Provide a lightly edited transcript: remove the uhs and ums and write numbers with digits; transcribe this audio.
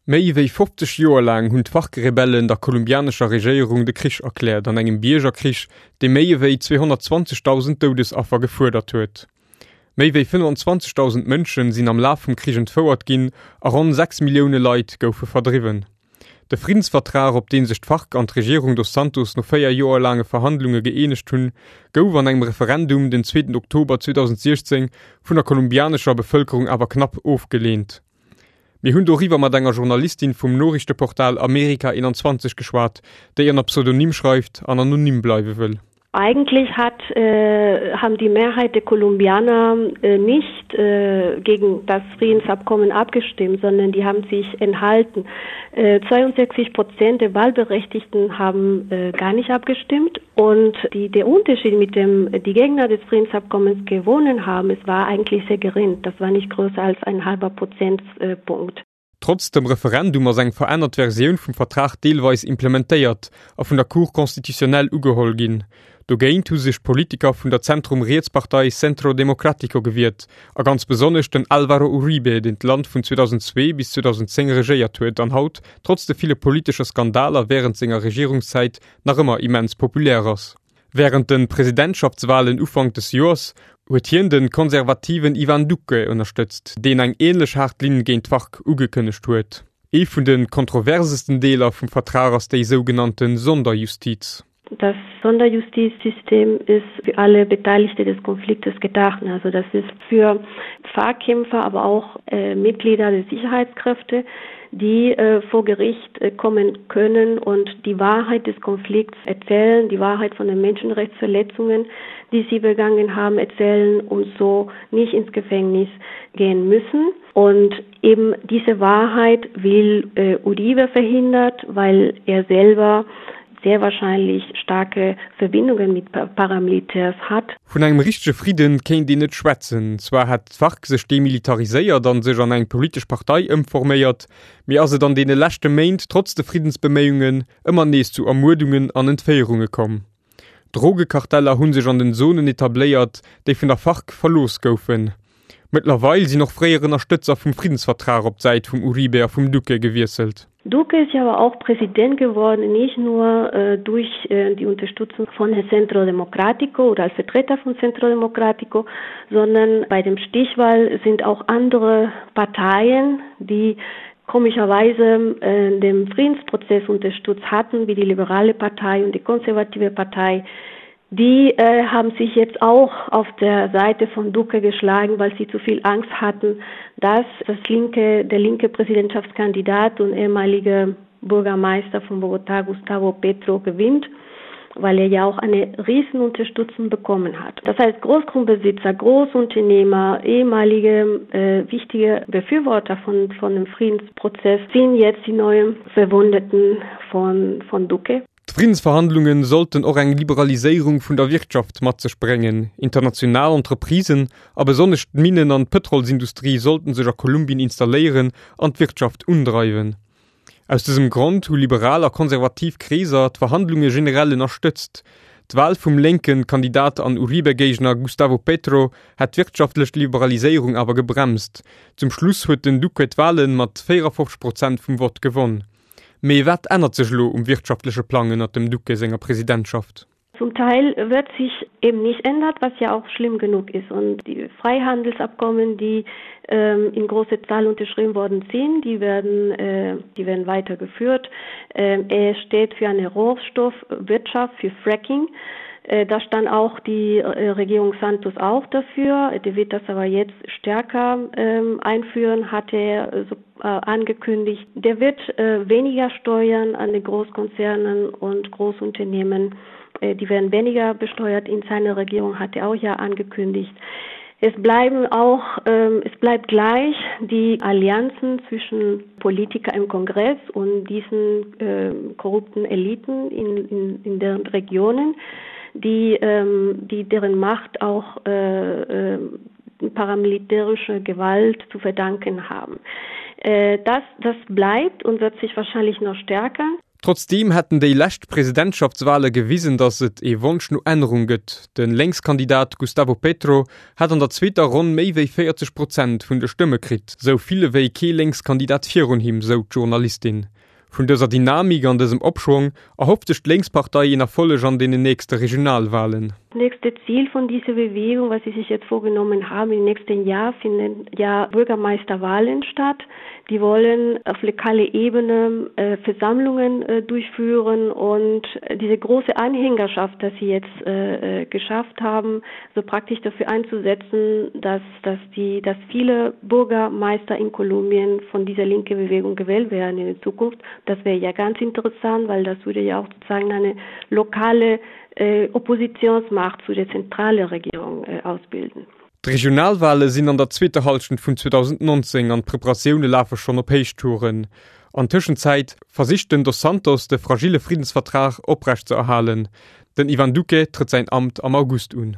Méi wéi 50 Joer laang hunn d'FARC-Rebellen der kolumbianescher Regéierung de Krich erkläert an engem Biergerkrich, dee méi ewéi 220.000 Doudesaffer gefuerdert huet. Méi wéi 25.000 Mënsche sinn am Laf vum Krich entfouert ginn a ronn 6 Millioune Leit goufe verdriwwen. De Friddensvertrag, op dee sech d'FARC an d'Regierung dos Santos no 4 Joer laange Verhandlunge gëeenegt hunn, gouf an engem Referendum den zweeten Oktober 2016 vun der kolumbianescher Bevëlkerung awer knapp ofgeleent. Mir hunn doriwwer mat enger Journalistin vum Noriichteportal Amerika 21 geschwat, déi ënner Pseudonym schreift an anonym bleiwe wëll. Eigentlich hat, äh, haben die Mehrheit der Kolumbianer äh, nicht äh, gegen das Friedensabkommen abgestimmt, sondern die haben sich enthalten. Äh, 62 Prozent der Wahlberechtigten haben äh, gar nicht abgestimmt und die, der Unterschied mit dem die Gegner des Friedensabkommens gewonnen haben, es war eigentlich sehr gering. Das war nicht größer als ein halber Prozentpunkt. Trotz dem Referendum ass eng verännert Versioun vum Vertrag deelweis implementéiert a vun der Cour constitutionnelle ugeholl ginn. Dogéint hu sech d'Politiker vun der Zentrum-Riets-Partei Centro Democrático gewiert, a ganz besonnesch den Álvaro Uribe, deen d'Land vun 2002 bis 2010 regéiert huet an haut, trotz de ville politesche Skandaler wärend senger Regierungszäit, nach ëmmer immens populär ass. Wärend de Presidentschaftswalen Ufank des Joers huet hien de konservativen Ivan Duque ënnerstëtzt, deen eng änlech haart Linn géint d'FARC ugekënnegt huet. Ee vun de kontroversesten Deeler vum Vertrag ass déi sougenannte Sonderjustiz. Das Sonderjustizsystem ist für alle Beteiligte des Konfliktes gedacht. Also das ist für FARC-Kämpfer, aber auch äh, Mitglieder der Sicherheitskräfte, die äh, vor Gericht äh, kommen können und die Wahrheit des Konflikts erzählen, die Wahrheit von den Menschenrechtsverletzungen, die sie begangen haben, erzählen und so nicht ins Gefängnis gehen müssen. Und eben diese Wahrheit will äh, Uribe verhindert, weil er selber sehr wahrscheinlich starke Verbindungen mit Paramilitärs hat. Vun engem richtege Fridden kéint een net schwätzen. Zwar hätt d'FARC sech demilitariséiert an sech an eng politesch Partei ëmforméiert, mee ass et an deene leschte Méint trotz de Friddensbeméiungen ëmmer nees zu Ermuerdungen an Entféierunge komm. Drogekarteller hu sech an den Zonen etabléiert, déi vun der FARC verlooss goufen. Mëttlerweil sinn och fréier Ënnerstëtzer vum Friddensvertrag op d'Säit vum Uribe a vum Duque gewiesselt. Duque ist ja aber auch Präsident geworden, nicht nur äh, durch äh, die Unterstützung von Centro Democrático oder als Vertreter von Centro Democrático, sondern bei dem Stichwahl sind auch andere Parteien, die komischerweise äh, dem Friedensprozess unterstützt hatten, wie die Liberale Partei und die Konservative Partei, die äh, haben sich jetzt auch auf der Seite von Duque geschlagen, weil sie zu viel Angst hatten, dass das linke, der linke Präsidentschaftskandidat und ehemalige Bürgermeister von Bogotá, Gustavo Petro, gewinnt weil er ja auch eine Riesenunterstützung bekommen hat. Das heißt Großgrundbesitzer, Großunternehmer, ehemalige äh, wichtige Befürworter von, von dem Friedensprozess sind jetzt die neuen Verwundeten von, von Duque. D'Friddensverhandlunge sollten och eng Liberaliséierung vun der Wirtschaft mat sech bréngen. International Entreprisen, a besonnesch d'Minnen an d'Pëtrolsindustrie sollten sech a Kolumbien installéieren an d'Wirtschaft undreiwen. Aus dësem Grond hu liberal a konservativ Kreeser d'Verhandlunge generell ënnerstëtzt. D'Wal vum lénke Kandidat an Uribe-Géigner Gustavo Petro hätt d'wirtschaftlech Liberaliséierung awer gebremst. Zum Schluss huet den Duque d'Wale mat 54 Prozent vum Vott gewonn. Mee wat ännert sech elo um wirtschaftleche Plang ënnert dem Duque senger Presidentschaft? Zum Teil wird sich eben nicht ändert, was ja auch schlimm genug ist. Und die Freihandelsabkommen, die ähm, in großer Zahl unterschrieben worden sind, die werden, äh, die werden weitergeführt. Ähm, er steht für eine Rohstoffwirtschaft, für Fracking. Äh, da stand auch die äh, Regierung Santos auch dafür. Die wird das aber jetzt stärker ähm, einführen, hat er äh, so angekündigt. Der wird weniger steuern an den Großkonzernen und Großunternehmen. Die werden weniger besteuert in seiner Regierung, hat er auch ja angekündigt. Es bleiben auch ähm, es bleibt gleich die Allianzen zwischen Politiker im Kongress und diesen äh, korrupten Eliten in, in, in deren Regionen, die, ähm, die deren Macht auch äh, äh, paramilitärische Gewalt zu verdanken haben. Äh, das, das bleibt und wird sich wahrscheinlich noch stärker. Trotzdeem hätten déi lescht Presidentschaftswale gewisen, datt et ee Wonsch no Ännerung gëtt. De Lénkskandidat Gustavo Petro hat an der zweeter Ronn méi wéi 40 Prozent vun de Stëmme kritt, sou vill ewéi kee Lénkskandidat virun him, sou d'Journalistin. Vun dëser Dynamik an dësem Opschwong erhofft sech d'Lénkspartei een Erfolleg an deenen nächste Regionalwalen. Nächste Ziel von dieser Bewegung, was sie sich jetzt vorgenommen haben, im nächsten Jahr finden ja Bürgermeisterwahlen statt. Die wollen auf lokale Ebene äh, Versammlungen äh, durchführen und diese große Anhängerschaft, dass sie jetzt äh, äh, geschafft haben, so praktisch dafür einzusetzen, dass, dass, die, dass viele Bürgermeister in Kolumbien von dieser linke Bewegung gewählt werden in der Zukunft. Das wäre ja ganz interessant, weil das würde ja auch sozusagen eine lokale äh, Oppositionsmacht zu der zentrale Regierung äh, ausbilden. D'Regionalwale sinn an der zweeter Hallschent vun 2019 an d'Preparatioune lafe schonn op Héichtouren. An Tëschenzäit versicht den Dos Santos de fragille Friddensvertrag oprecht ze erhalen. Den Ivan Duque trëtt säin Amt am August un.